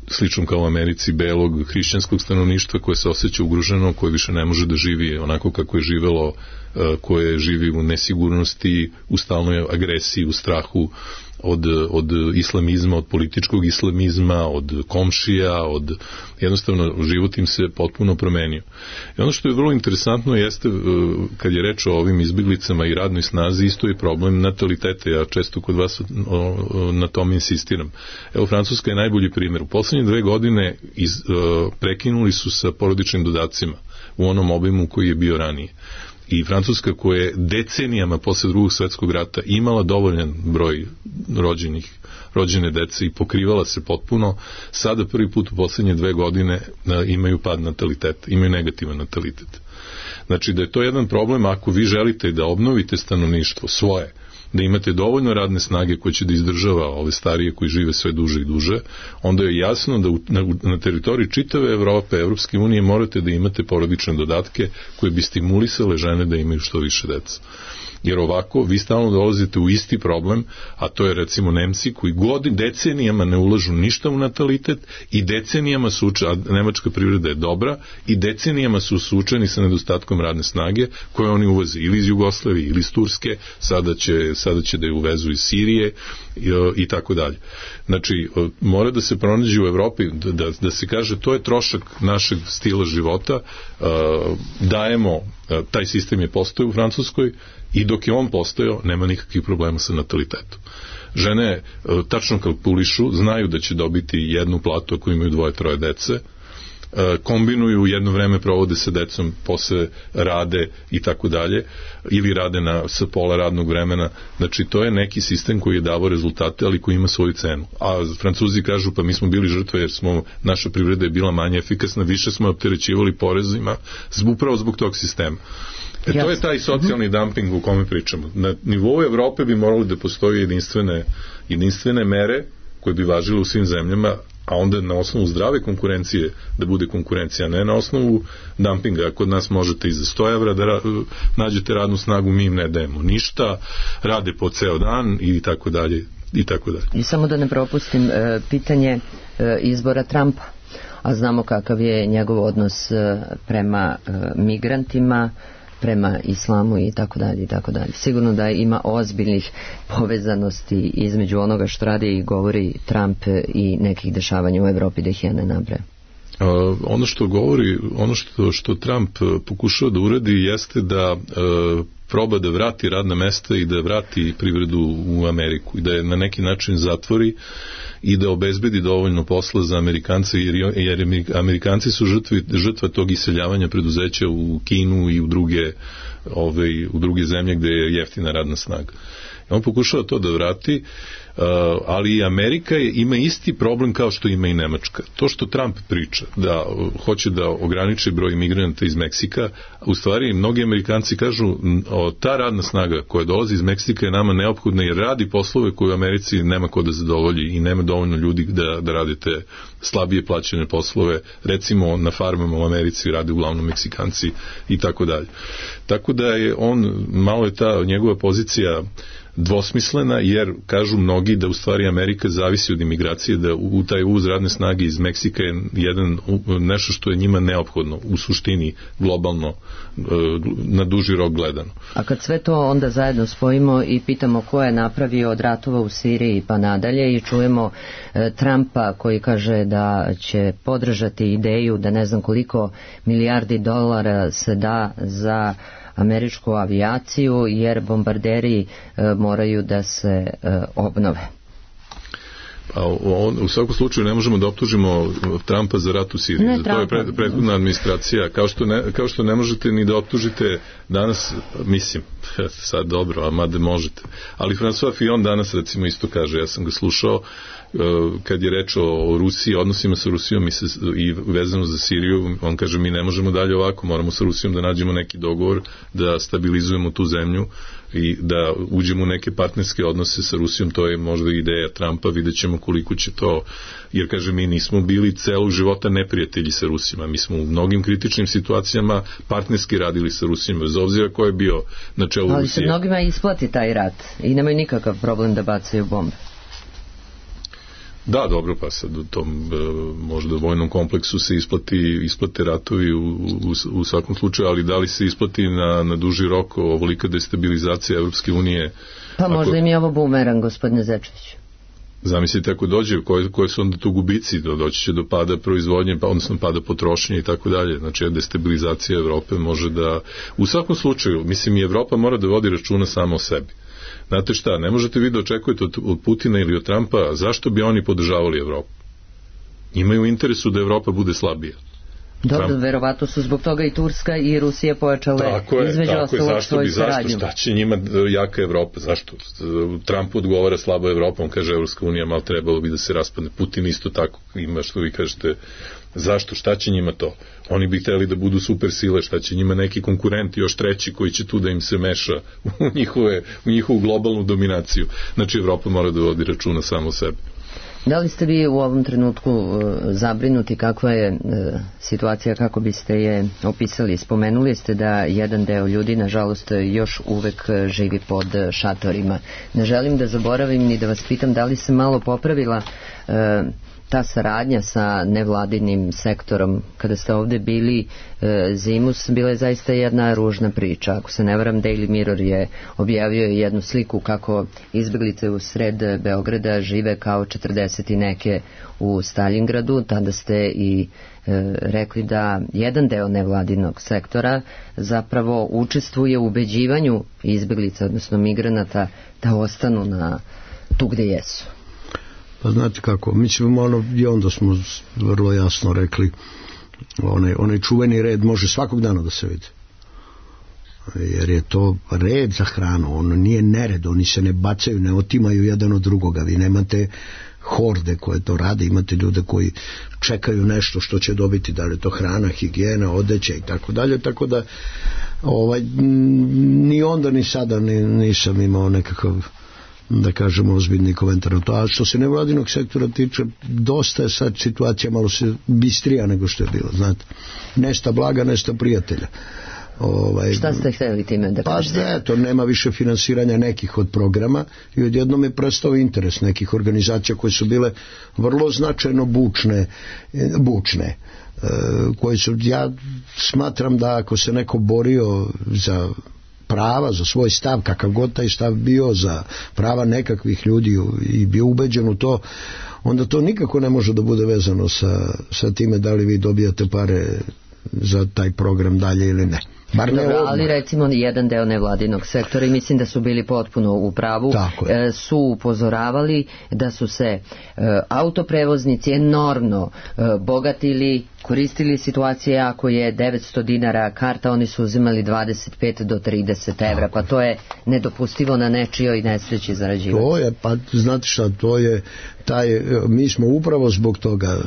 slično kao u Americi, belog hrišćanskog stanovništva koje se osjeća ugroženo, koje više ne može da živi onako kako je živelo, koje živi u nesigurnosti, u stalnoj agresiji, u strahu od islamizma, od političkog islamizma, od komšija, jednostavno život im se potpuno promenio. I ono što je vrlo interesantno jeste, kad je reč o ovim izbjeglicama i radnoj snazi, isto je problem nataliteta. Ja često kod vas na tome insistiram. Evo, Francuska je najbolji primjer. U poslednje 2 godine prekinuli su sa porodičnim dodacima u onom obimu koji je bio ranije. I Francuska, koja je decenijama posle Drugog svjetskog rata imala dovoljan broj rođene dece i pokrivala se potpuno, sada prvi put u poslednje 2 godine imaju pad nataliteta, imaju negativan natalitet. Znači da je to jedan problem ako vi želite da obnovite stanovništvo svoje, da imate dovoljno radne snage koje će da izdržava ove starije koji žive sve duže i duže, onda je jasno da na teritoriji čitave Evrope, Evropske unije, morate da imate porodične dodatke koje bi stimulisale žene da imaju što više deca. Jer ovako vi stalno dolazite u isti problem, a to je recimo Nemci koji decenijama ne ulažu ništa u natalitet i decenijama su, a nemačka privreda je dobra, i decenijama su suočeni sa nedostatkom radne snage koje oni uvoze ili iz Jugoslavije ili iz Turske, sada će da je uvezu iz Sirije i tako dalje. Znači, mora da se pronađe u Evropi, da se kaže to je trošak našeg stila života, dajemo, taj sistem je postojao u Francuskoj, i dok je on postojao, nema nikakvih problema sa natalitetom. Žene tačno kalkulišu, znaju da će dobiti jednu platu ako imaju 2-3 dece, kombinuju, jedno vreme provode sa decom, posle rade i tako dalje, ili rade sa pola radnog vremena. Znači, to je neki sistem koji je davao rezultate, ali koji ima svoju cenu. A Francuzi kažu, pa mi smo bili žrtve jer naša privreda je bila manje efikasna, više smo opterećivali porezima, upravo zbog tog sistema. To je taj socijalni dumping u kome pričamo. Na nivou Evrope bi morali da postoje jedinstvene mere koje bi važile u svim zemljama, a onda na osnovu zdrave konkurencije da bude konkurencija, ne na osnovu dumpinga. Kod nas možete i za 100 evra da nađete radnu snagu, mi im ne dajemo ništa, rade po ceo dan i tako dalje i tako dalje. I samo da ne propustim pitanje izbora Trumpa, a znamo kakav je njegov odnos prema migrantima, prema islamu i tako dalje i tako dalje. Sigurno da ima ozbiljnih povezanosti između onoga što radi i govori Trump i nekih dešavanja u Evropi, da ih ja ne nabrajam. Ono što govori, ono što Trump pokušava da uradi jeste da proba da vrati radna mesta i da vrati privredu u Ameriku i da je na neki način zatvori i da obezbedi dovoljno posla za Amerikance, jer Amerikanci su žrtva tog iseljavanja preduzeća u Kinu i u druge zemlje gde je jeftina radna snaga. On pokušava to da vrati, ali i Amerika ima isti problem kao što ima i Nemačka. To što Trump priča, da hoće da ograniči broj migranata iz Meksika, u stvari mnogi Amerikanci kažu ta radna snaga koja dolazi iz Meksika je nama neophodna jer radi poslove koje u Americi nema ko da zadovolji i nema dovoljno ljudi da radi te slabije plaćene poslove, recimo na farmama u Americi rade uglavnom Meksikanci i tako dalje. Tako da je malo je ta njegova pozicija dvosmislena, jer kažu mnogi da u stvari Amerika zavisi od imigracije, da u taj uvoz radne snage iz Meksika je nešto što je njima neophodno u suštini globalno na duži rok gledano. A kad sve to onda zajedno spojimo i pitamo ko je napravio od ratova u Siriji pa nadalje i čujemo Trumpa koji kaže da će podržati ideju da ne znam koliko milijardi dolara se da za američku avijaciju jer bombarderi moraju da se obnove. U svakom slučaju ne možemo da optužimo Trumpa za rat u Siriji. To je prethodna administracija. Kao što ne možete ni da optužite danas, mislim, sad dobro, a mada možete. Ali François Fillon danas recimo isto kaže, ja sam ga slušao, kad je reč o Rusiji, odnosima sa Rusijom i vezano za Siriju, on kaže mi ne možemo dalje ovako, moramo sa Rusijom da nađemo neki dogovor, da stabilizujemo tu zemlju i da uđemo u neke partnerske odnose sa Rusijom, to je možda ideja Trumpa, vidjet ćemo koliko će to, jer kaže mi nismo bili celog života neprijatelji sa Rusima, mi smo u mnogim kritičnim situacijama partnerski radili sa Rusima, bez obzira ko je bio na čelu Rusije. Ali se mnogima isplati taj rat i nemaju nikakav problem da bacaju bombe. Da, dobro, pa sad u tom možda vojnom kompleksu se isplate ratovi u svakom slučaju, ali da li se isplati na duži rok ovolika destabilizacija Evropske unije? Pa možda im je ovo bumerang, gospodine Zečeviću. Zamislite ako dođe, koje su onda tu gubici, doći će do pada proizvodnje, odnosno pada potrošnje i tako dalje. Znači, destabilizacija Evrope može da, u svakom slučaju, mislim i Evropa mora da vodi računa samo o sebi. Znate šta, ne možete vi da očekujete od Putina ili od Trumpa, zašto bi oni podržavali Evropu? Imaju u interesu da Evropa bude slabija. Dobro, verovatno su zbog toga i Turska i Rusija pojačale između ostalog svoju saradnju. Šta će njima jaka Evropa? Zašto? Trump odgovara slabo Evropa, on kaže Evropska unija malo trebalo bi da se raspadne. Putin isto tako ima, što vi kažete, zašto? Šta će njima to? Oni bi hteli da budu super sile, šta će njima neki konkurenti, još treći koji će tu da im se meša u njihovu globalnu dominaciju. Znači Evropa mora da vodi računa samo o sebi. Da li ste vi u ovom trenutku zabrinuti kakva je situacija, kako biste je opisali? Spomenuli ste da jedan deo ljudi, nažalost, još uvek živi pod šatorima. Ne želim da zaboravim ni da vas pitam da li se malo popravila ta saradnja sa nevladinim sektorom. Kada ste ovde bili zimus, bila je zaista jedna ružna priča. Ako se ne varam, Daily Mirror je objavio jednu sliku kako izbeglice u sred Beograda žive kao 40 i neke u Stalingradu. Tada ste i rekli da jedan deo nevladinog sektora zapravo učestvuje u ubeđivanju izbeglica, odnosno migranata, da ostanu tu gde jesu. Pa znate kako, mislim, i onda smo vrlo jasno rekli, onaj čuveni red može svakog dana da se vidi. Jer je to red za hranu, ono nije nered, oni se ne bacaju, ne otimaju jedan od drugoga, vi nemate horde koje to rade, imate ljude koji čekaju nešto što će dobiti, da li je to hrana, higijena, odeća i tako dalje, tako da ni onda ni sada nisam imao nekakav, da kažemo, ozbiljni komentar na to. A što se nevladinog sektora tiče, dosta je sad situacija malo se bistrija nego što je bilo, znate. Nesta blaga, nesta prijatelja. Šta ste htjeli time da kažete? Pa eto, nema više finansiranja nekih od programa i odjednom je prestao interes nekih organizacija koje su bile vrlo značajno bučne, koje su, ja smatram da ako se neko borio za prava, za svoj stav, kakav god taj stav bio, za prava nekakvih ljudi i bio ubeđen u to, onda to nikako ne može da bude vezano sa time da li vi dobijate pare za taj program dalje ili ne. Dobro, ali recimo jedan deo nevladinog sektora, i mislim da su bili potpuno u pravu, su upozoravali da su se autoprevoznici enormno bogatili, koristili situacije ako je 900 dinara karta, oni su uzimali 25 do 30 evra, pa to je nedopustivo na nečijoj nesreći zarađivati. To je, pa znate šta, to je mi smo upravo zbog toga,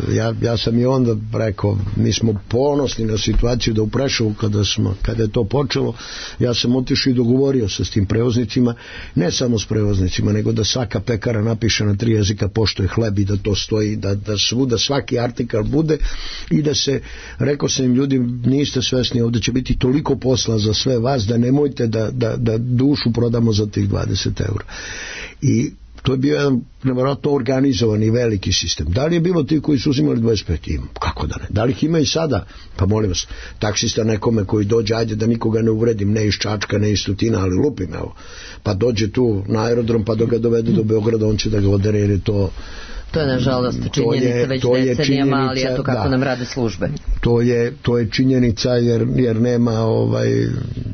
ja sam i onda rekao, mi smo ponosni na situaciju da u Preševu kada je to počelo, ja sam otišao i dogovorio se s tim prevoznicima, ne samo s prevoznicima, nego da svaka pekara napiše na 3 jezika pošto je hleb i da to stoji, da svuda svaki artikal bude i da se, rekao sam im, ljudi, niste svesni, ovdje će biti toliko posla za sve vas da nemojte da dušu prodamo za tih 20 eura. I to je bio jedan nevjerojatno organizovan i veliki sistem. Da li je bilo ti koji su uzimali 25? Ima. Kako da ne? Da li ih ima i sada? Pa molim vas, taksista nekome koji dođe, ajde da nikoga ne uvredim, ne iz Čačka, ne iz Tutina, ali lupim, evo. Pa dođe tu na aerodrom, pa dok ga dovedu do Beograda, on će da ga odere, jer je to... To je nažalost činjenica već decenijama, ali eto kako nam rade službe. To je činjenica jer nema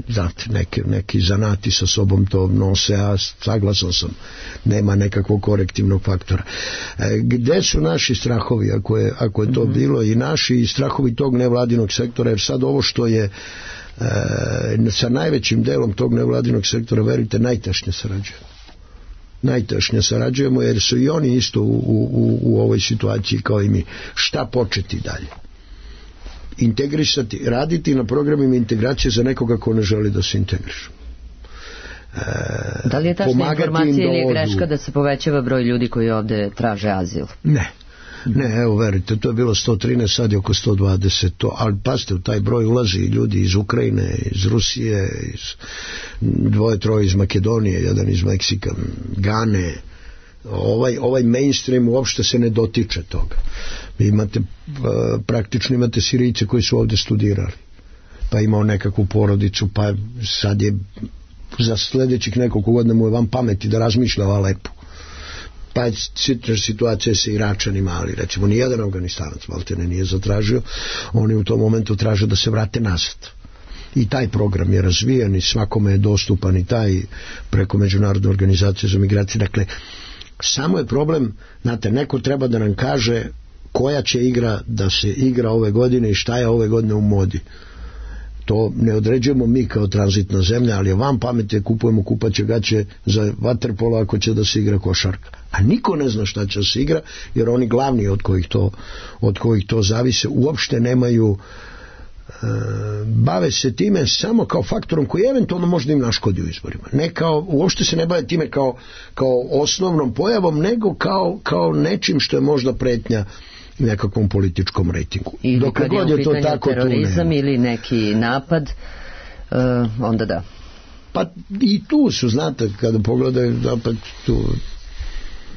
znate, neki zanati sa sobom to nose, a saglasan sam, nema nekakvog korektivnog faktora. Gde su naši strahovi ako je to bilo, i naši strahovi tog nevladinog sektora, jer sad ovo što je sa najvećim delom tog nevladinog sektora, verujte, najtešnje sarađujemo, jer su i oni isto u ovoj situaciji kao i mi. Šta početi dalje? Integrisati, raditi na programima integracije za nekoga ko ne želi da se integriše. Da li je tačna informacija ili je greška da se povećava broj ljudi koji ovde traže azil? Ne, evo verite, to je bilo 113, sad je oko 120, ali pazite, u taj broj ulazi ljudi iz Ukrajine, iz Rusije, dvoje, troje iz Makedonije, jedan iz Meksika, Gane. Ovaj mainstream uopšte se ne dotiče toga. Vi imate, praktično imate Sirijce koji su ovde studirali, pa imao nekakvu porodicu, pa sad je za sledećih nekoliko godina mu je van pameti da razmišlja o Alepu. Pa je situacija sa Iračanima, ali recimo nijedan Afganistanac maltene nije zatražio, oni u tom momentu traže da se vrate nazad. I taj program je razvijan i svakome je dostupan i taj preko Međunarodne organizacije za migracije. Dakle, samo je problem, znate, neko treba da nam kaže koja će igra da se igra ove godine i šta je ove godine u modi. To ne određujemo mi kao tranzitna zemlja, ali van pameti kupujemo kupaće gaće za vaterpolo ako će da se igra košarka. A niko ne zna šta će da se igra, jer oni glavni od kojih to zavise uopšte nemaju, bave se time samo kao faktorom koji eventualno možda im naškodi u izborima. Ne kao, uopšte se ne bave time kao osnovnom pojavom, nego kao nečim što je možda pretnja nekakvom političkom rejtingu. Ili dok kad je u pitanju terorizam ili neki napad, onda da. Pa i tu su, znate, kada pogledaju napad, tu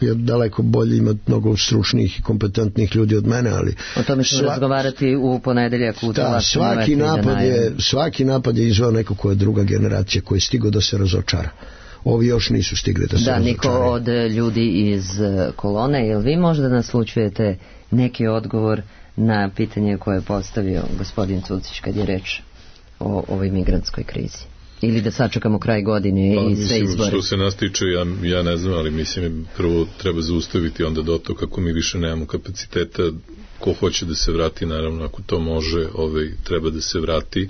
je daleko bolje, ima mnogo stručnih i kompetentnih ljudi od mene, ali o tome ćemo razgovarati u ponedeljak u svaki napad je izveo neko ko je druga generacija, koji je stigao da se razočara. Ovi još nisu stigli da se razočaraju. Niko od ljudi iz kolone, jel vi možda naslučujete neki odgovor na pitanje koje je postavio gospodin Cucić kad je reč o ovoj migrantskoj krizi? Ili da sačekamo kraj godine i sve izbore? Što se nas tiče, ja ne znam, ali mislim prvo treba zaustaviti onda do to kako mi više nemamo kapaciteta. Ko hoće da se vrati, naravno, ako to može, treba da se vrati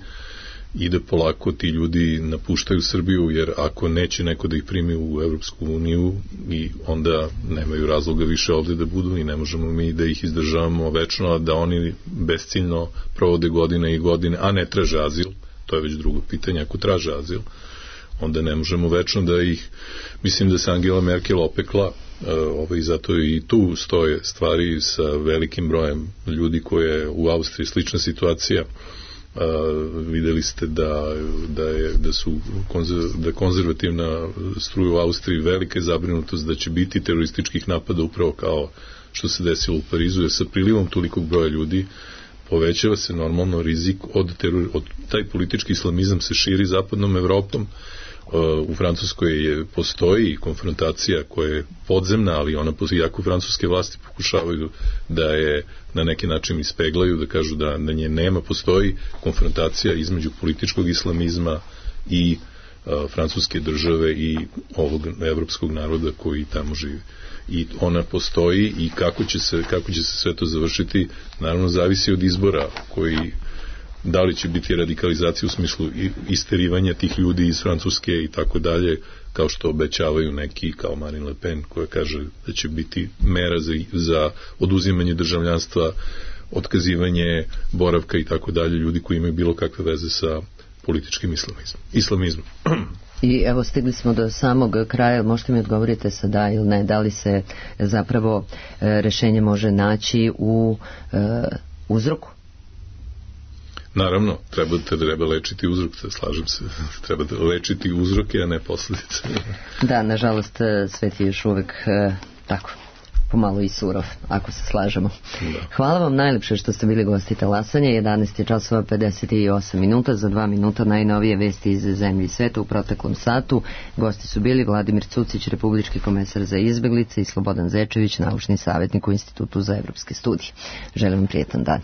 i da polako ti ljudi napuštaju Srbiju, jer ako neće neko da ih primi u Evropsku uniju, i onda nemaju razloga više ovde da budu i ne možemo mi da ih izdržavamo večno, a da oni besciljno provode godine i godine, a ne traže azil. To je već drugo pitanje. Ako traže azil, onda ne možemo večno da ih, mislim da se Angela Merkel opekla, zato i tu stoje stvari sa velikim brojem ljudi koje u Austriji slična situacija. Videli ste da konzervativna struja u Austriji velika je zabrinutost da će biti terorističkih napada upravo kao što se desilo u Parizu, jer sa prilivom tolikog broja ljudi povećava se normalno rizik od taj politički islamizam se širi zapadnom Evropom. U Francuskoj postoji konfrontacija koja je podzemna, ali ona iako francuske vlasti pokušavaju da je na neki način ispeglaju, da kažu da na nje nema, postoji konfrontacija između političkog islamizma i francuske države i ovog evropskog naroda koji tamo živi. I ona postoji i kako će se sve to završiti, naravno zavisi od izbora koji, da li će biti radikalizacija u smislu isterivanja tih ljudi iz Francuske i tako dalje, kao što obećavaju neki kao Marine Le Pen, koja kaže da će biti mera za oduzimanje državljanstva, otkazivanje boravka i tako dalje, ljudi koji imaju bilo kakve veze sa političkim islamizmom. I evo stigli smo do samog kraja, možete mi odgovorite sa da ili ne, da li se zapravo rešenje može naći u uzroku? Naravno, treba lečiti uzrok, slažem se, treba lečiti uzroke, a ne posljedice. Da, nažalost, svet je još uvek tako, pomalo i surov, ako se slažemo. Da. Hvala vam najlepše što ste bili gosti Talasanja. 11:58 za 2 minuta najnovije vesti iz zemlje i sveta u proteklom satu. Gosti su bili Vladimir Cucić, republički komesar za izbeglice, i Slobodan Zečević, naučni savjetnik u Institutu za evropske studije. Želim vam prijetan dan.